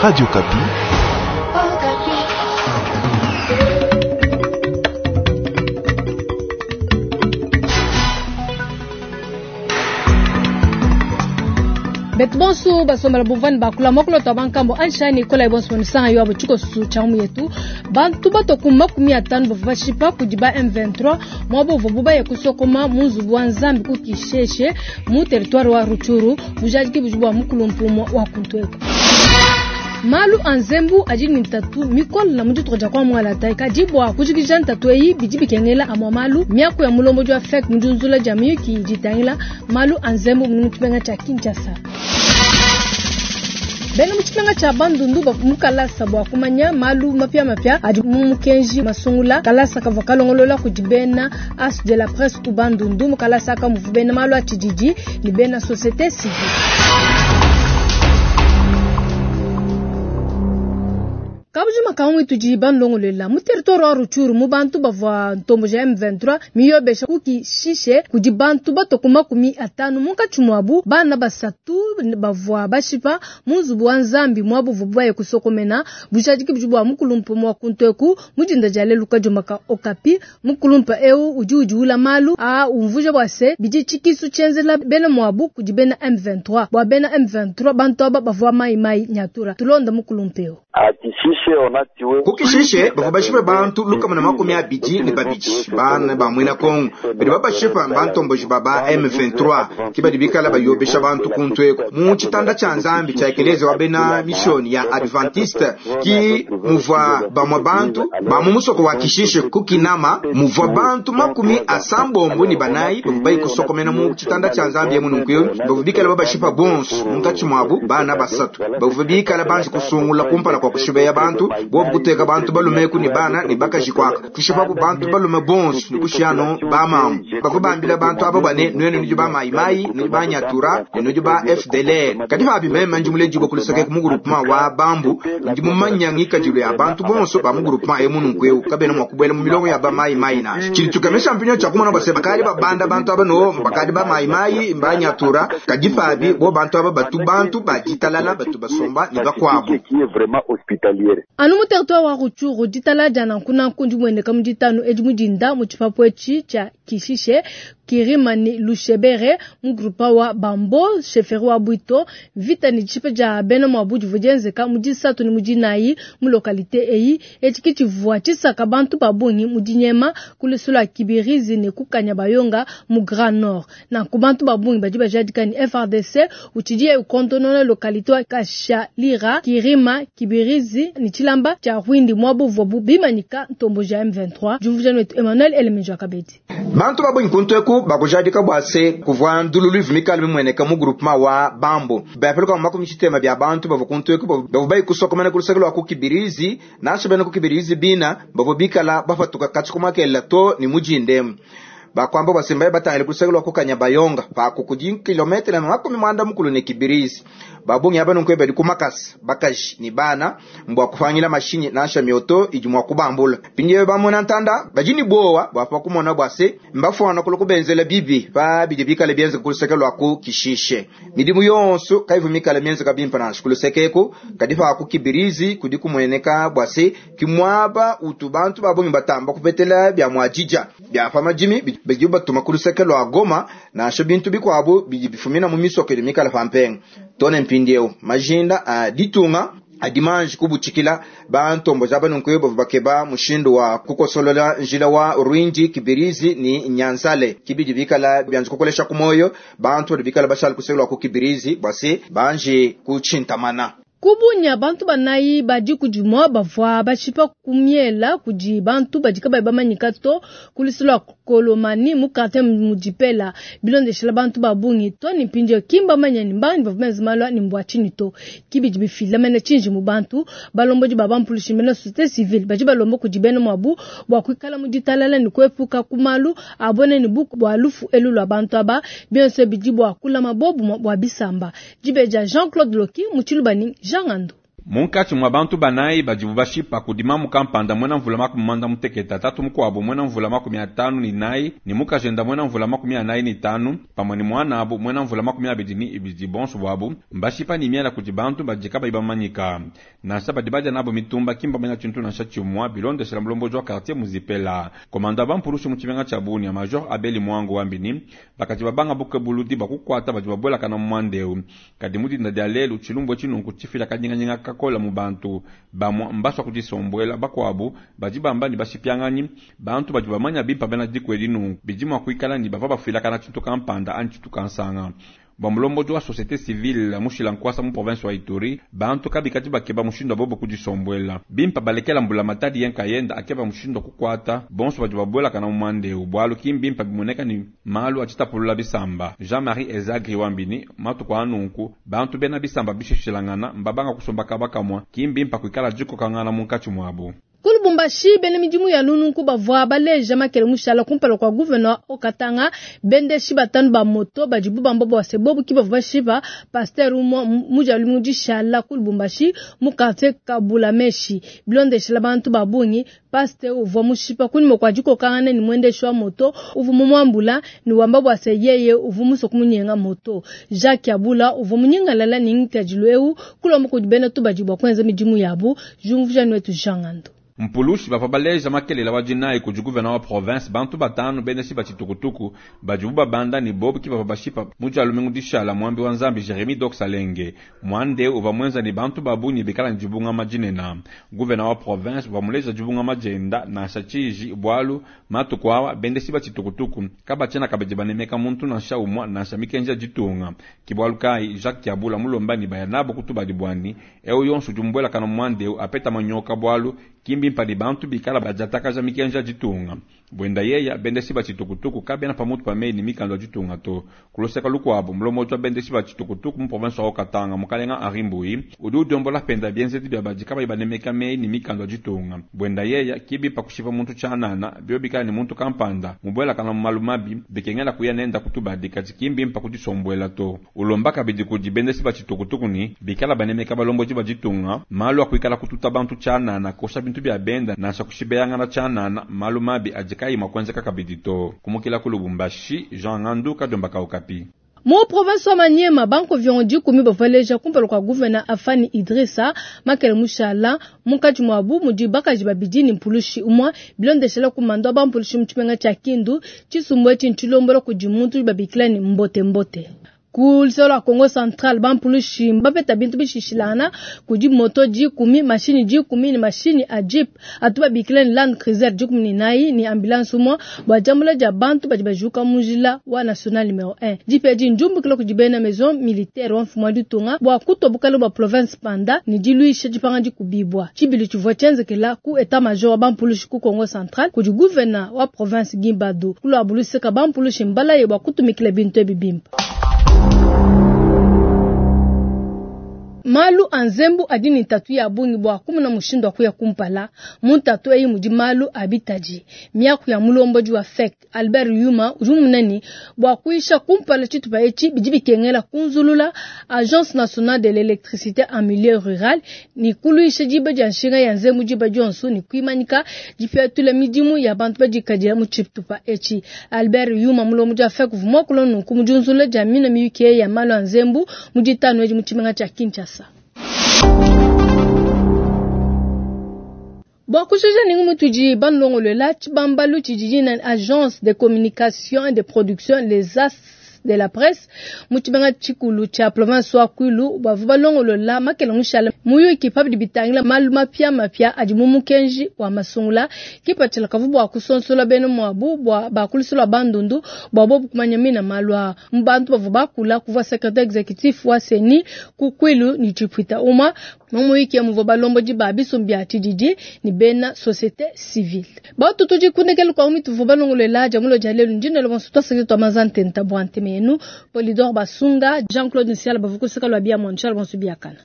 Radio Okapi. Betu bonso basombela bumvani bakula mokolo twa bankambo anshani ikola bonso banisanga yo abo tshikosu tsha mu yetu bantu bato ku 50 bavua bashipa kudi ba M23 mwabo buvua bubaye kusokoma mu nzubu wa Nzambi ku Kisheshe mu territoire wa Rutshuru bujadiki budi bua mukulumpumo wa kuntweko. Malu a nzembu adi ne ntatu mikole na mu dituku dia kuamualata kadi bua kujikija ntatu eyi bidi bikengela amua malu miaku ya mulombodi wa FEC mu diunzula dia miyuki idi itangila malu a nzembu mu tshimenga tshia Kinshasa. Bena mu tshimenga tshia Bandundu bavua mu kalasa bua kumanya malu mapiamapia adi mu mukenji masungula. Kalasa kavua kalongolola kudi bena As de la presse ku Bandundu. Mu kalasa aka muvua bena malu a tshididi ne bena société civile. Kabujima kamwe tudi banlongolela mu territoire wa Rutshuru mu bantu bavua ntombo ja M23 miyobesha kukishishe kudi bantu bato ku 50 munkatshi muabu bana basatu bavua bashipa mu nzubu wa Nzambi muabu buvua baye kusokomena bujadiki budi bua mukulumpa mwa kuntweku mujinda dia lelu kajomaka Okapi. Mukulumpa eu udi udiula malu a umvuja bua se bidi tshikisu tshienzela bena muabu kudi bena M23 bua bena M23 bantu aba bavua mai mai nyatura tulonda mukulumpa eu. Kukishishe bavua bashipe bantu 122 bana ba mwena Kongo badi babashipa bantomboji baba M23 kibadi bikala bayobesha bantu kuntweko mu tshitanda tsha Nzambi tsha ekeleze wa bena mission ya Adventiste ki muvua bamwe bantu ba mu musoko wa Kishishe kukinama muvua bantu 54 bavua bayi kusokomena mu tshitanda tsha Nzambi emu nunkuyo bavua bikala babashipa bonso munkatshi muabu bana basatu bavua bikala banji kusungula kumpala kwa kushibeya bantu bobu kuteka bantu balume ku ne bana ne bakaji kwaka kushipabu bantu balume bonso ne kushiano bamamu bavua bambila bantu aba bane nwenu nudi ba mayimayi nudi ba nyatura ne nudi ba FDLR kadi pabi meme ndi muledibua kuluseke mu groupement wa bambu ndi mumanya ngikadilu ya bantu bonso ba mu groupement emu nunkueu kabena mua kubuela mu milongo ya ba mayimayi nansha tshidi tukemesha mpinyo tshia kumona base bakadi babanda bantu aba no bakadi ba mayimayi ba nyatura kadi pabi bo bantu aba batu bantu baditalala batu basomba ne bakuabu. Anu mu territoire wa Rutshuru ditala dia nankunanku ndi muendeka mu ditanu edi mudinda mu tshipapu etshi tshia Kishishe Kirima ni Lushebere mu groupement wa Bambo chefferie wa Bwito vita ni tshipe dia bena muabu divua dienzeka mu disatu ne mu dinayi mu localité eyi etshi ke tshivua tshisaka bantu ba bungi mu dinyema ku lusulu lua Kibirizi ne kukanya bayonga mu Grand Nord. Nanku bantu ba bungi badi bajadika ni FARDC utshidi ukontonona localité wa Kashalira Kirima Kibirizi ni tshilamba tshia Rwindi muabu buvua bimanyika ntombo ja M23. Jumvujano wetu Emmanuel Elemenjo Kabedi. Bantu babungi kuntweku bakujadika bua se kuvua ndululu ivu mikala mimueneka mu groupement wa Bambo bapeluka mu 60 bya bantu bavua kuntweku bavua bayi kusokomena ku luseke lua ku Kibirizi nansha bena ku Kibirizi bina bavua bikala bapatuka katshi kumakelela to ni mujindemu bakwamba basembaye batangile ku luseke lua kukanya bayonga paku kudi kilometre 90 ne Kibirizi babungi aba nunku badi kumakasa bakaji ni bana mbwa kufanyila mashinyi nansha mioto idi mwa kubambula pindiye bamona ntanda badi ni bowa bwapa kumona bwase mbafwana kulo kubenzela bibi pa bidi bikale bienze ku luseke lua ku Kishishe midimu yonso kaivu mikale mienze kabimpa nansha ku luseke eku kadi pa ku Kibirizi kudi kumueneka bwase kimwaba utu bantu babungi batamba kupetela bya mwajija bya pa majimi bidi batuma ku luseke lua Goma nansha bintu bikuabu bidi bifumina mu misoko idi mikale pampenga tone mpindieu majinda a ditunga adimanji kubutshikila bantombo za banunkuyo bavua bakeba mushindu wa kukosolola njila wa Rwindi Kibirizi ni Nyanzale kibidi bikala byanji kukolesha ku moyo bantu badi bikala bashala kusekelwa ku Kibirizi bwase banji kutshintamana. Kubunya bantu banayi badi kudimwa bavua bashipa kumiela kudi bantu badi kabayi bamanyika to ku lusulu lua Kolomani mu quartier mudipela bilondeshela bantu ba bungi to ni mpindieu kimba manya ni mbangi bavua benza malu ni mbua tshinyi to kibidi bifila mene tshinji mu bantu balombodi ba bampulushi mene société civile badi balomba kudi bena muabu bua kuikala mu ditalala ni kuepuka ku malu abone ni buku bua lufu elu lua bantu aba bionso bidi bua kulama bobu bua bisamba dibeja Jean-Claude Loki mu Tshilubani Jean Ngando. Munkatshi mua bantu banayi badibu bashipa kudi mamu kampanda muena mvula 48, tatu mukuabu muena mvula 54 ne mukajenda muena mvula 45 pamue ne muanabu muena mvula 22, bonso buabu mbashipa ne miela kudi bantu badi kabayi bamanyika. Nansha badi badia nabu mitumba ki mbamanya tshintu nansha tshimua, bilondeshela mulombodi wa quartier Muzipela. Komanda wa bampulushi mu tshimenga tshia Bunia, Major Abeli Mwango wambi ne, bakadi babanga bukebuludi bua kukuata badi babuelakana mu muanda eu. Kadi mu dinda dia lelu, tshilumbu etshi nunku tshifila kanyinganyinga kakola mu bantu. Bamua mbasua kudisombuela, bakuabu badi bamba ne bashipianganyi. Bantu badi bamanya bimpa bena diku edi nunku, bidi mua kuikala ne bavua bafuilakana tshintu kampanda anyi tshintu kansanga. Bua mulombodi wa societe civile mushila nkuasa mu province wa Ituri, bantu kabikadi bakeba mushindu wa bobo kudisombuela. Bimpa balekela mbulamatadi ye nkayenda akeba mushindu wa kukuata bonso badi babuelakana mu muanda eu, bualu ki mbimpa bimueneka ne malu adi tapulula bisamba. Jean-Marie Ezagri wambi ne matuku a nunku bantu bena bisamba bishishilangana mbabanga kusomba kaba kamua, ki mbimpa kuikala dikokangana munkatshi muabu. Ku Lubumbashi, bena midimu ya nununku bavua baleja makele mushala kumpala kua gouverneur Haut-Katanga, bendeshi batanu ba moto badibu bamba bua se bobu ki bavua bashipa pasteur umue mu dia lumingu dishala ku Lubumbashi mu quartier Kabulameshi. Bilondeshela bantu ba bungi, pasteur uvua mushipa kunyima kua dikokangana ne muendeshi wa moto uvua mumuambula ne wamba bua se yeye uvua musue kumunyenga moto. Jacques Abula uvua munyingalala ne ngikadilu eu kulomba kudi bena tubadi bua kuenza midimu yabu. Jumvuja nuetu Jean Ngando. Mpulushi bavua baleja makelela wa dinayi kudi gouverneur wa province bantu batanu bendeshi ba tshitukutuku badibu babanda ne bobu ki bavua bashipa mu dia lumingu dishala muambi wa Nzambi Jeremie Dox Alenge. Muanda eu uvua muenza ne bantu ba bungi bikala ne dibungama dinene. Gouverneur wa province uvua muleja dibungama dienda nansha tshiji bualu matuku aa bendeshi ba tshitukutuku kabatshiena kabidi banemeka muntu nansha umua nansha mikenji ya ditunga. Ke bualu kayi Jacques Kyabula mulomba ne baya nabo ku tubadi buani eu yonso udi mubuelakana mu muanda eu apeta manyoka bualu ki mbimpa ne bantu bikala badiatakaja mikenji ya ditunga. Buenda yeya bendeshi ba tshitukutuku kabena pamutu pa meyi ne mikanda ya ditunga to. Ku luseke lukuabu, mulombodi wa bendeshi ba tshitukutuku mu province wa Haut-Katanga, mukalenga Henri Mbuyi, udi udiombola penda bienzedi bia badi kabayi banemeka meyi ne mikanda ya ditunga. Buenda yeya ki bimpa kushipa muntu tshianana, bio bikala ne muntu kampanda mubuelakana mu malu mabi, bikengela kuya nenda ku tubadi, kadi ki mbimpa kudisombuela to. Ulomba kabidi kudi bendeshi ba tshitukutuku ne bikala banemeka balombodi ba ditunga, malu a kuikala kututa bantu tshianana, kosha bintu bia benda, nansha kushibeyangana tshianana, malu mabi adi kayi mua kuenzeka kabidi to. Kumukila ku Lubumbashi, Jean Ngandu, Kadiomba ka Okapi. Mu province wa Maniema, banko viongo dikumi bavaleja kumpala kua gouverneur Afani Idrissa Makele Mushala munkatshi muabu mudi bakaji babidi ne mpulushi umue bilondeshela ku mando wa bampulushi mu tshimenga tshia Kindu. Tshisumbu etshi ntshilombola kudi muntu babikila ne mbote mbote. Ku luseke lua Congo Central, bampulushi bapeta bintu bishishilangana kudi moto dikumi, mashini dikumi ne mashini a jeep atu babikila ne Land Cruiser dikumi ne nayi ne ambulance umue bua diambula dia bantu badi bajuka mu njila wa national numero 1. Jeep edi ndiumbukila kudi bena maison militaire wa mfumu wa ditunga bua kutua bukale bua province panda ne diluisha dipanga dikubibua. Tshibilu tshivua tshienzekela ku etat major wa bampulushi ku Congo Central kudi gouverneur wa province Gimbadu. Kulua buluseka bampulushi mbalaye bua kutumikila bintu ebi bimpe. Malu a nzembu adi ne ntatu ya bungi bua kumona mushindu wa kuya kumpala. Mu ntatu eyi mudi malu a bitadi. Miaku ya mulombodi wa FEC Albert Yuma udi mumona ne bua kuyisha kumpala tshitupa etshi bidi bikengela kunzulula Agence nationale de l'électricité en milieu rural ne kuluisha diba dia nshinga ya nzembu diba dionso ne kuimanyika dipetula midimu ya bantu badikadila mu tshitupa etshi. Albert Yuma mulombodi wa FEC uvua muakula nunku mu diunzulula dia mina miyuki ya malu a nzembu mu ditanu edi mu tshimenga tshia Kinshasa. Bua kujuja ningu mutudi banlongolola tshibambalu tshidi na agence de communication et de production les as de la presse mu tshimenga tshikulu tshia province wa Kwilu bavua balongolola makele mushala muyuki pabidi bitangila malu mapia mapia adi mu mukenji wa masungula kipatshila kavu bua kusonsola bena muabu bua bakulisula bandundu bua bobu kumanya mina malu a mu bantu bavua bakula kuvua secrétaire exécutif wa CENI ku Kwilu ni tshipwita uma mu muyuki muvua balombodi ba bisumbu bia tshididi ni bena société civile. Batu tudi kundekela kwa mitu tuvua balongolola dia mulo dia lelu ndine lo bonso twasaki twa mazantenta bua nteme yenu Polidor Basunga Jean-Claude Nsiala bavukusika lwa bia monchal bonso biakana.